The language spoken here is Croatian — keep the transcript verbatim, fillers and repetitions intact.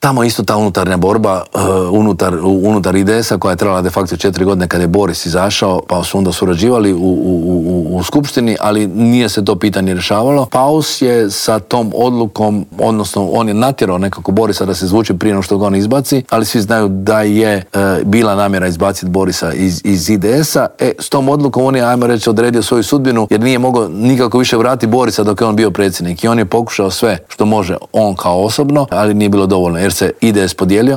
tamo isto ta unutarnja borba uh, unutar, unutar I D S-a koja je trajala de facto četiri godine kad je Boris izašao, pa su onda surađivali u, u, u, u skupštini, ali nije se to pitanje rješavalo. Paus je sa tom odlukom, odnosno on je natjerao nekako Borisa da se izvuče prije no što ga on izbaci, ali svi znaju da je uh, bila namjera izbaciti Borisa iz, iz I D S-a. E, s tom odlukom on je, ajmo reći, odredio svoju sudbinu jer nije mogao nikako više vratiti Borisa dok je on bio predsjednik. I on je pokušao sve što može on kao osobno, ali nije bilo dovoljno jer se I D S podijelio.